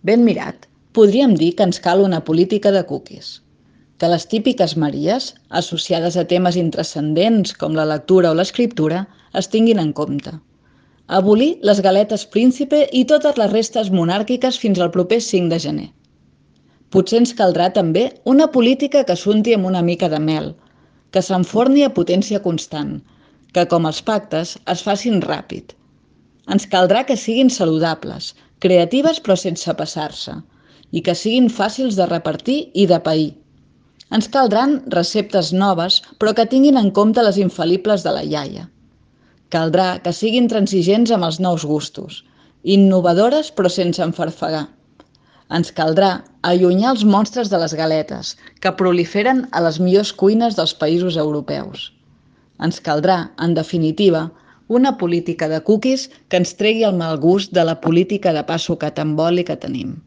Ben mirat, podríem dir que ens cal una política de cookies. Que les típiques Maries, associades a temes intranscendents com la lectura o l'escriptura, es tinguin en compte. Abolir les galetes príncipe i totes les restes monàrquiques fins al proper 5 de gener. Potser ens caldrà també una política que s'unti amb una mica de mel, que s'enforni a potència constant, que com els pactes es facin ràpid. Ens caldrà que siguin saludables, creatives però sense passar-se, i que siguin fàcils de repartir i de pair. Ens caldran receptes noves però que tinguin en compte les infal·libles de la iaia. Caldrà que siguin transigents amb els nous gustos, innovadores però sense enfarfegar. Ens caldrà allunyar els monstres de les galetes, que proliferen a les millors cuines dels països europeus. Ens caldrà, en definitiva, una política de cookies que ens tregui el mal gust de la política de pa sucat amb oli que tenim.